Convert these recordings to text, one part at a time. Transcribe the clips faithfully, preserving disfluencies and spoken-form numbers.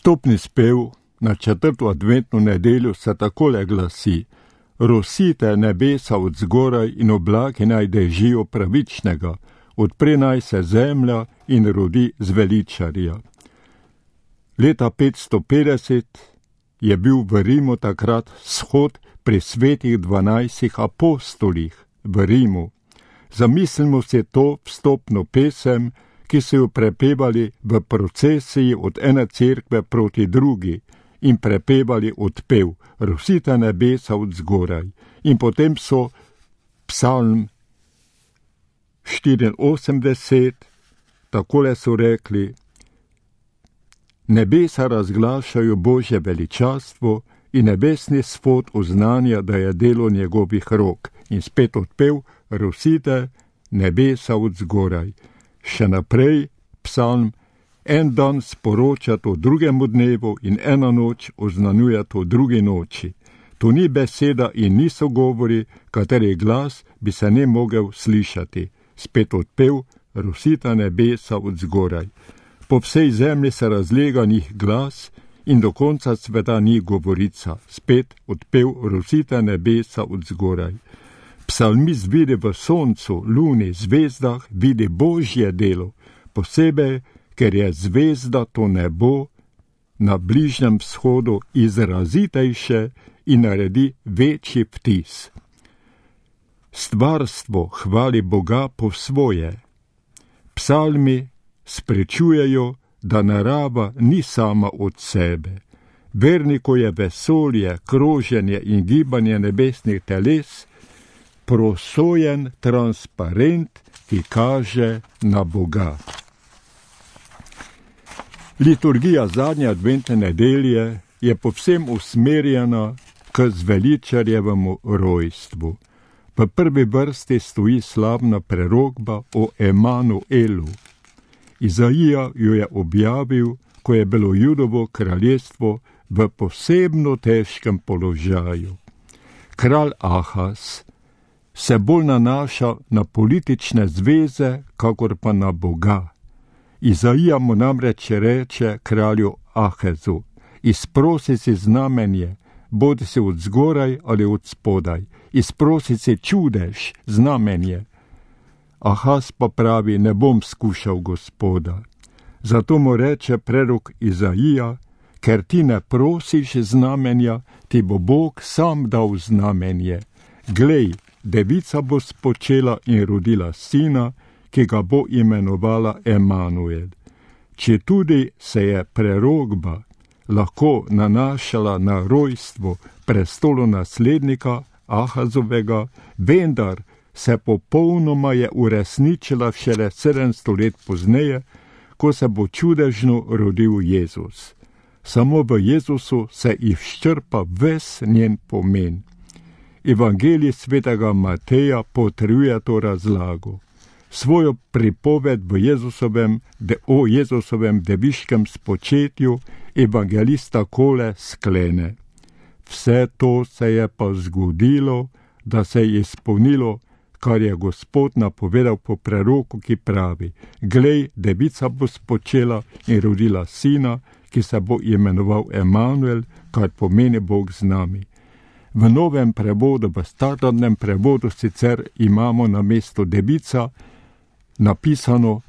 Vstopni spev na četrto adventno nedeljo se takole glasi: Rosite nebesa od zgoraj in oblaki naj dežijo pravičnega, odpre naj se zemlja in rodi zveličarja. Leta petsto petdeset je bil v Rimu takrat shod pri svetih dvanajstih apostolih v Rimu. Zamislimo se to vstopno pesem, ki so jo prepevali v procesiji od ene cerkve proti drugi in prepevali odpev Rosite nebesa od zgoraj. In potem so psalm štiriinosemdeset, takole so rekli: Nebesa razglašajo Božje veličastvo in nebesni svod oznanja, da je delo njegovih rok. In spet odpev Rosite nebesa od zgoraj. Še naprej psalm: En dan sporoča to drugemu dnevu in ena noč oznanjuje to drugi noči. To ni beseda in niso govori, kateri glas bi se ne mogel slišati. Spet odpev Rosite nebesa od zgoraj. Po vsej zemlji se razlega njih glas in do konca sveta ni govorica. Spet odpev Rosite nebesa od zgoraj. Psalmist vidi v soncu, luni, zvezdah, vidi Božje delo, posebej, ker je zvezda to nebo na Bližnjem vzhodu izrazitejše in naredi večji vtis. Stvarstvo hvali Boga po svoje. Psalmi sprečujejo, da narava ni sama od sebe. Verniku je vesolje, kroženje in gibanje nebesnih teles prosojen transparent, ki kaže na Boga. Liturgija zadnje adventne nedelje je povsem usmerjena k zveličarjevemu rojstvu. V prvi vrsti stoji slavna prerokba o Emanuelu. Izaija jo je objavil, ko je bilo Judovo kraljestvo v posebno težkem položaju. Kralj Ahaz se bolj nanaša na politične zveze, kakor pa na Boga. Izaija mu namreč reče kralju Ahazu: izprosi si znamenje, bodi si od zgoraj ali od spodaj, izprosi si čudež, znamenje. Ahaz pa pravi: ne bom skušal Gospoda. Zato mu reče prerok Izaija: ker ti ne prosiš znamenja, ti bo Bog sam dal znamenje. Glej, devica bo spočela in rodila sina, ki ga bo imenovala Emanuel. Če tudi se je prerokba lahko nanašala na rojstvo prestolonaslednika Ahazovega, vendar se popolnoma je uresničila šele sedemsto let pozneje, ko se bo čudežno rodil Jezus. Samo v Jezusu se izčrpa ves njen pomen. Evangelij svetega Mateja potrjuje to razlago. Svojo pripoved v Jezusovem, de, o Jezusovem deviškem spočetju evangelist takole sklene: vse to se je pa zgodilo, da se je izpolnilo, kar je Gospod napovedal po preroku, ki pravi: glej, devica bo spočela in rodila sina, ki se bo imenoval Emanuel, kar pomeni Bog z nami. V novem prevodu, v standardnem prevodu sicer imamo na mesto devica napisano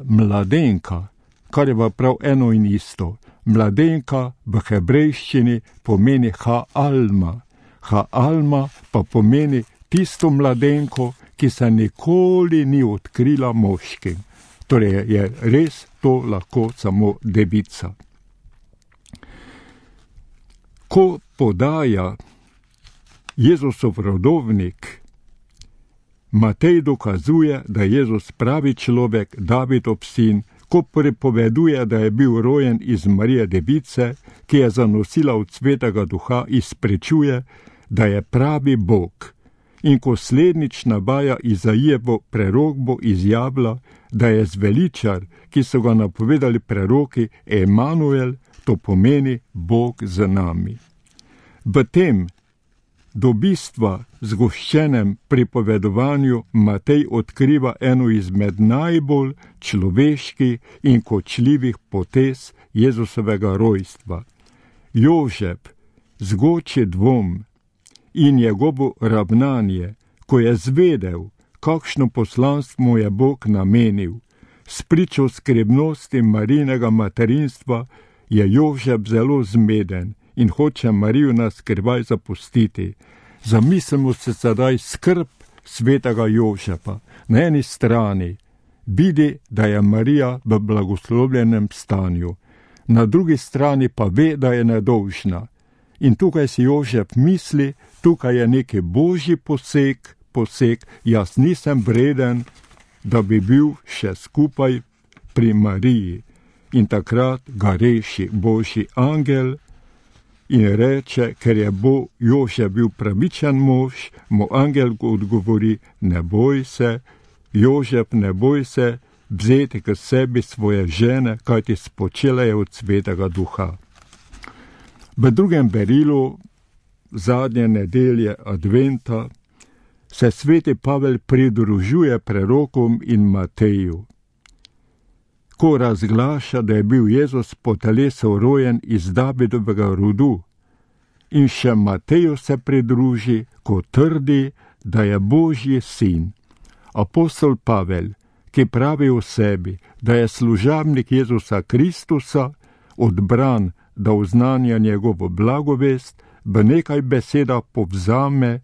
mladenka, kar je pa prav eno in isto. Mladenka v hebrejščini pomeni ha-alma. Ha-alma pa pomeni tisto mladenko, ki se nikoli ni odkrila moškim. Torej je res to lahko samo devica. Ko podaja Jezusov rodovnik, Matej dokazuje, da je Jezus pravi človek, Davidov sin, ko pripoveduje, da je bil rojen iz Marije device, ki je zanosila od Svetega Duha, izprečuje, da je pravi Bog. In ko slednjič navaja Izaijevo prerokbo, izjavlja, da je zveličar, ki so ga napovedali preroki, Emanuel, to pomeni Bog z nami. V tem Do bistva zgoščenem pripovedovanju Matej odkriva eno izmed najbolj človeških in kočljivih potez Jezusovega rojstva. Jožef zgoči dvom in njegovo ravnanje, ko je zvedel, kakšno poslanstvo mu je Bog namenil. S pričo skrbnosti Marijinega materinstva je Jožef zelo zmeden in hoče Marijo naskrivaj zapustiti. Zamislimo se sedaj skrb svetega Jožefa. Na eni strani vidi, da je Marija v blagoslovljenem stanju, na drugi strani pa ve, da je nedolžna. In tukaj si Jožef misli, tukaj je neki božji poseg, poseg, jaz nisem vreden, da bi bil še skupaj pri Mariji. In takrat ga reši božji angel in reče, ker je bo Jožef bil pravičen mož, mu angel odgovori, ne boj se, Jožef, ne boj se, vzeti k sebi svoje žene, kajti spočela je od svetega duha. V drugem berilu zadnje nedelje adventa se sveti Pavel pridružuje prerokom in Mateju, ko razglaša, da je bil Jezus po telesu rojen iz Davidovega rodu, in še Mateju se pridruži, ko trdi, da je Božji sin. Apostol Pavel, ki pravi o sebi, da je služabnik Jezusa Kristusa, odbran, da oznanja njegovo blagovest, v nekaj besedah povzame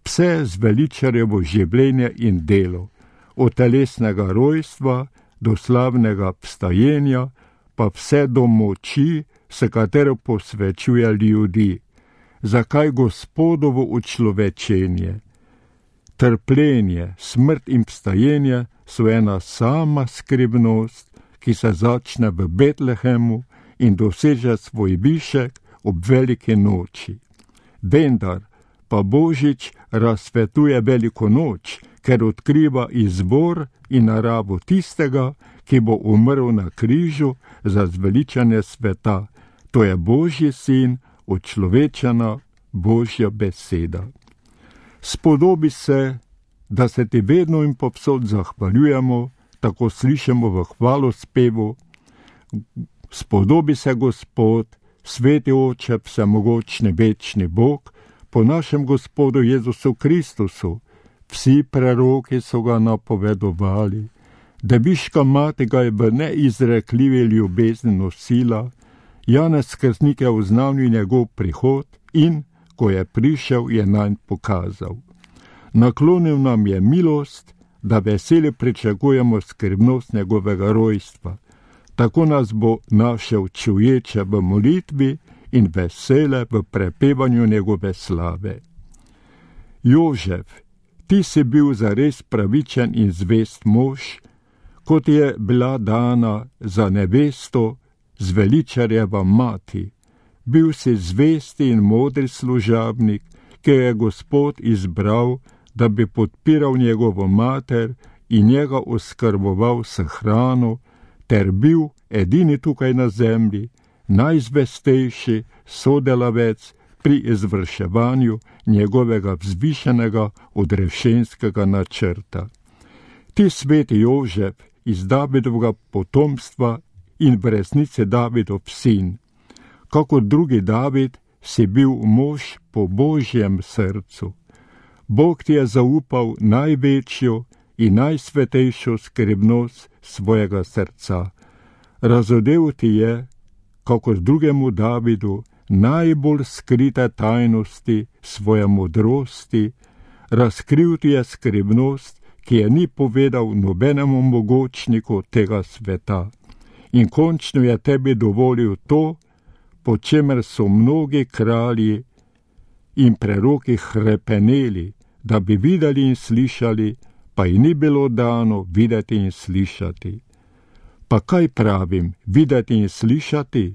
vse zveličarjevo življenje in delo, od telesnega rojstva do slavnega vstajenja, pa vse do moči, s katero posvečuje ljudi. Zakaj Gospodovo učlovečenje, trpljenje, smrt in vstajenje so ena sama skrivnost, ki se začne v Betlehemu in doseže svoj višek ob veliki noči. Vendar pa Božič razsvetuje veliko noč, ker odkriva izvor in naravo tistega, ki bo umrl na križu za zveličanje sveta. To je Božji sin, učlovečena Božja beseda. Spodobi se, da se ti vedno in povsod zahvaljujemo, tako slišimo v hvalospevu. Spodobi se Gospod, sveti Oče, vsemogočni večni Bog, po našem Gospodu Jezusu Kristusu. Vsi preroki so ga napovedovali, Deviška mati ga je v neizrekljivi ljubezni nosila, Janez Krstnik je oznanil njegov prihod in, ko je prišel, je nanj pokazal. Naklonil nam je milost, da veseli pričakujemo skrbnost njegovega rojstva. Tako nas bo našel čuječe v molitvi in vesele v prepevanju njegove slave. Jožef, ti si bil zares pravičen in zvest mož, kot je bila dana za nevesto zveličarjeva mati. Bil si zvesti in modri služabnik, ki je Gospod izbral, da bi podpiral njegovo mater in njega oskrboval s hrano, ter bil edini tukaj na zemlji, najzvestejši sodelavec pri izvrševanju njegovega vzvišenega odrešenskega načrta. Ti sveti Jožef iz Davidovega potomstva in v resnici Davidov sin, kako drugi David si bil mož po Božjem srcu. Bog ti je zaupal največjo in najsvetejšo skrbnost svojega srca. Razodel ti je, kako drugemu Davidu, najbolj skrite tajnosti svoje modrosti, razkril ti je skrbnost, ki je ni povedal nobenemu mogočniku tega sveta. In končno je tebi dovolil to, po čemer so mnogi kralji in preroki hrepeneli, da bi videli in slišali, pa ji ni bilo dano videti in slišati. Pa kaj pravim, videti in slišati?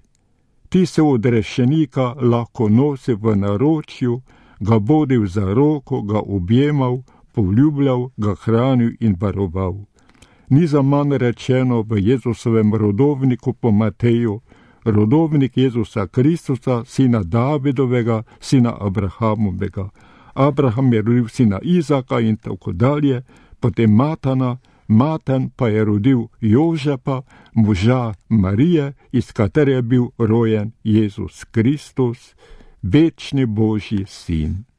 Ti se odrešenika lahko nosi v naročju, ga vodil za roko, ga objemal, poljubljal, ga hranil in varoval. Ni za manj rečeno v Jezusovem rodovniku po Mateju, rodovnik Jezusa Kristusa, sina Davidovega, sina Abrahamovega. Abraham je rodil sina Izaka in tako dalje, potem Matana, Matan pa je rodil Jožepa, moža Marije, iz katere je bil rojen Jezus Kristus, večni Božji sin.